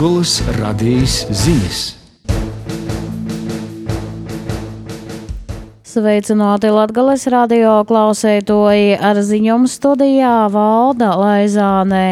Latgoles radijas ziņas. Sveicināti Latgoles radio klausētoji, ar ziņām studijā Valda Laizānē.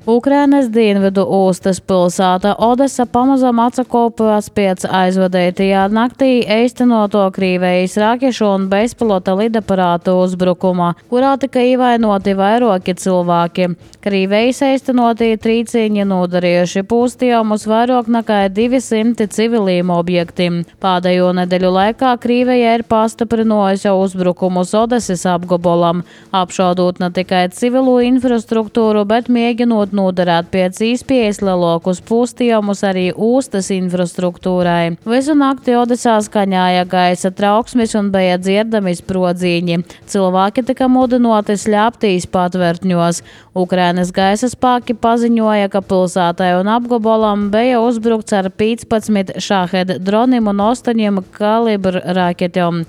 Ukrainas dienvidu ostas pilsēta Odesa pamazām atsakopās pēc aizvadētajā naktī īstenoto Krievijas rakešu un bezpilota lidaparātu uzbrukuma, kurā tika ievainoti vairāki cilvēki. Krievijas īstenotie trīcīņi nodarījuši postījumus vairāk nekā 200 civiliem objektiem. Pēdējo nedēļu laikā Krievija ir pastiprinājusi uzbrukumus Odesas apgabalam, apšaudot ne tikai civilo infrastruktūru, bet mēģinot nodarēt pēc īspējas lielākus postījumus arī ostas infrastruktūrai. Visu nakti Odesā skaņāja gaisa trauksmes un bija dzirdami sprodziņi. Cilvēki tika mudināti slēpties patvērtņos. Ukrainas gaisa spēki paziņoja, ka pilsētai un apgabalam bija uzbrukts ar 15 šahed droniem un 8 kalibru raketēm.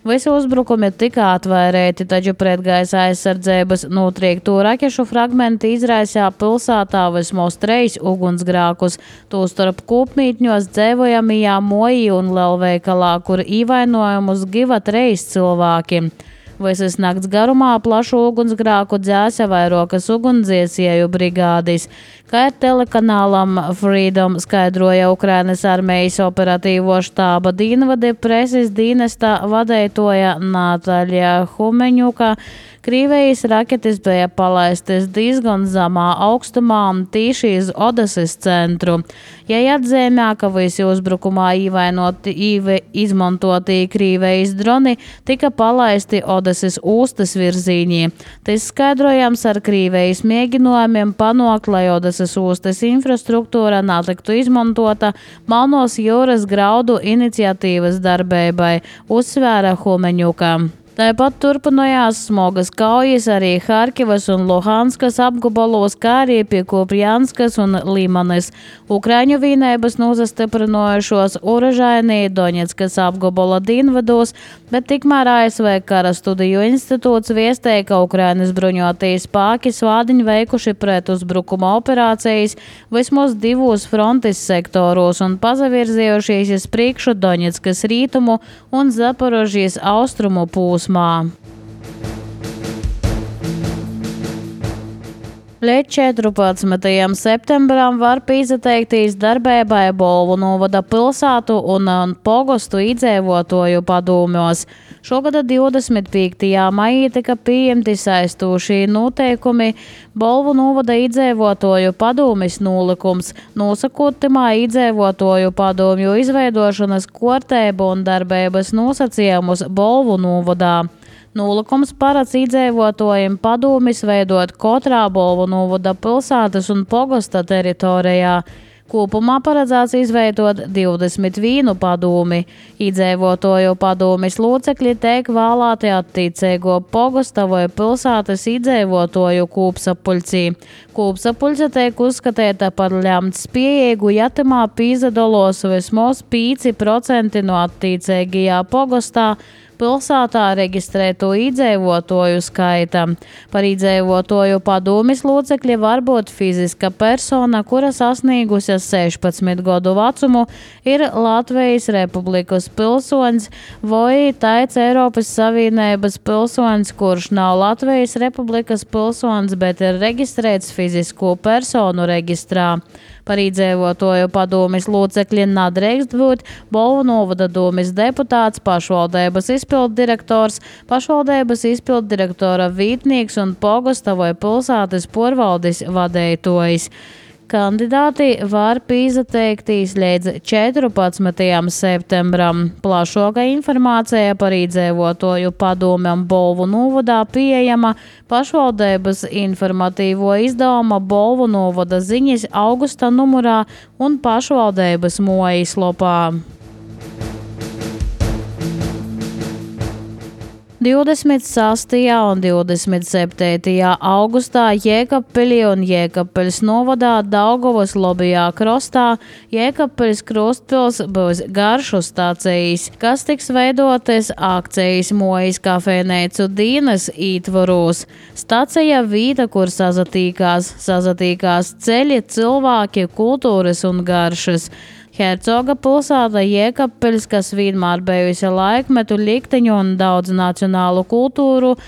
Visi uzbrukumi tika atvairēti, taču pretgaisa aizsardzības notriekto rakešu fragmenti izraisīja pilsētā vismaz 3 ugunsgrēkus, tostarp kopmītņos dzīvojamajā Moji un lielveikalā, kur ievainojumus guva 3 cilvēki. Visas nakts garumā plašu ugunsgrēku dzēsa vairākas ugunsdzēsēju brigādes. Kā ir telekanālam Freedom skaidroja Ukrainas armijas operatīvo štāba dienvade preses dienesta vadētoja Natāļa Humeņuka, Krievijas raketes bija palaistas diezgan zemā augstumā un tīši iz Odesas centru. Ja atzīmē, ka visi uzbrukumā izmantoti Krievijas droni tika palaisti Odesas ostas virzienī. Tas skaidrojams ar Krievijas mēģinājumiem panākt, lai Odesas ostas infrastruktūra netiktu izmantota Melnās jūras graudu iniciatīvas darbībai, uzsvēra Humeņuka. Tāpat turpinājās smogas kaujas arī Harkivas un Luhanskas apgabalos, kā arī pie Kupjanskas un Limanes. Ukraiņu vienības nozastiprinājušos Uražainī Doņetskas apgabala dienvidos, bet tikmēr ASV Kara studiju institūts viestēja, ka Ukrainas bruņotie spēki svādiņi veikuši pret uzbrukuma operācijas vismaz 2 frontes sektoros un pazavirzījušies uz priekšu Doņetskas rītumu un Zaporožijas austrumu pūsmu. Līdz 14. septembram var pieteikties darbībai Bolvu novada pilsētu un pogostu iedzīvotāju padomjos. Šogad 25. maijā tika pieņemti saistošie noteikumi Bolvu novada iedzīvotāju padomjas nolikums, nosakot timā iedzīvotāju padomju izveidošanas kārtību un darbības nosacījumus Bolvu novadā. Nolikums paredz iedzīvotājiem padomjas veidot katrā Bolvu novada pilsētas un pogosta teritorijā. Kopumā paredzēts izveidot 21 padomi. Iedzīvotāju padomjas locekļi tiek vēlēti attiecīgo pogosta vai pilsētas iedzīvotāju kopsapuļcī. Kopsapuļce tiek uzskatīta par lemtspējīgu, ja timā pīzadalos vismaz 5% no attiecīgajā pogostā pilsētā reģistrēto iedzīvotāju skaita. Par iedzīvotāju padomjas locekļi var būt fiziska persona, kura sasniegusi 16 gadu vecumu, ir Latvijas Republikas pilsonis vai tāds Eiropas Savienības pilsonis, kurš nav Latvijas Republikas pilsonis, bet ir reģistrēts fizisko personu reģistrā. Par iedzīvotāju padomjas locekļi nedrīkst būt Bolvu novada domes deputāts, pašvaldības izpilddirektors, pašvaldības izpilddirektora vietnieks un pogosta vai pilsētas porvaldes vadītājs. Kandidāti var pieteikties līdz 14. septembram. Plašāka informācija par iedzīvotāju padomjam Bolvu novadā pieejama pašvaldības informatīvo izdevuma Bolvu novada ziņas augusta numurā un pašvaldības mājaslapā. 26. un 27. augustā Jēkabpilī un Jēkabpeļas novadā Daugavas Lobijā krostā Jēkabpeļas krustpils būs garšu stacijas, kas tiks veidotas akcijas Mojas kafejneicu Dīnas ītvaros. Stacija vīta, kur sazatīkās ceļi, cilvēki, kultūras un garšas. Hercoga pilsēta Jēkabpeļs, kas vienmēr bijusi laikmetu likteņu un daudz nacionālu kultūru,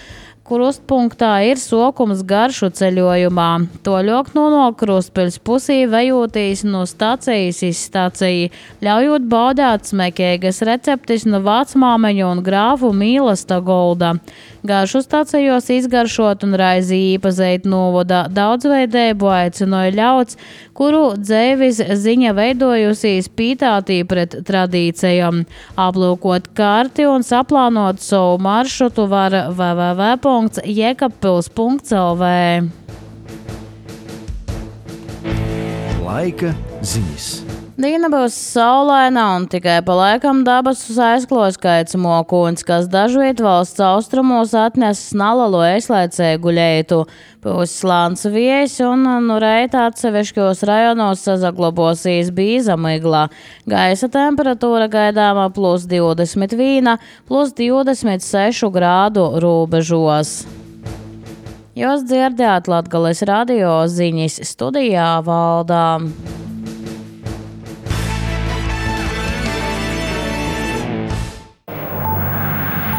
krustpunktā ir sokums garšu ceļojumā. Toļok no krustpeļs pusī vejotīs no stacijas iz staciju, ļaujot baudēt smekēgas receptis no vecmāmeņu un grāfu mīlesta golda. Garšu stacijos izgaršot un raizi īpazeit novada daudzveidēbu aicinoja ļauds, kuru dzēvis ziņa veidojusies pītātī pret tradīcijām. Aplūkot karti un saplānot savu maršrutu var www.jekabpils.lv. Laika ziņas. Diena būs saulaina un tikai pa laikam dabasus aizklos kaits mokuns, kas dažviet valsts austrumos atnes nalalu ēslaicēju guļētu. Būs slāns viejs un nu reit atsevišķos rajonos sazaglabosīs bīza migla. Gaisa temperatūra gaidāma +21, +26 grādu robežos. Jūs dzirdējāt Latgales radio ziņas, studijā Valdā.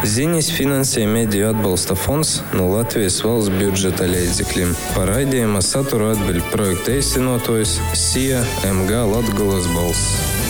Ziņas finansē Mediju atbalsta fonds no Latvijas valsts budžeta līdzekļiem. Par raidījuma saturu atbild projekta īstenotājs SIA MG Latgales balss.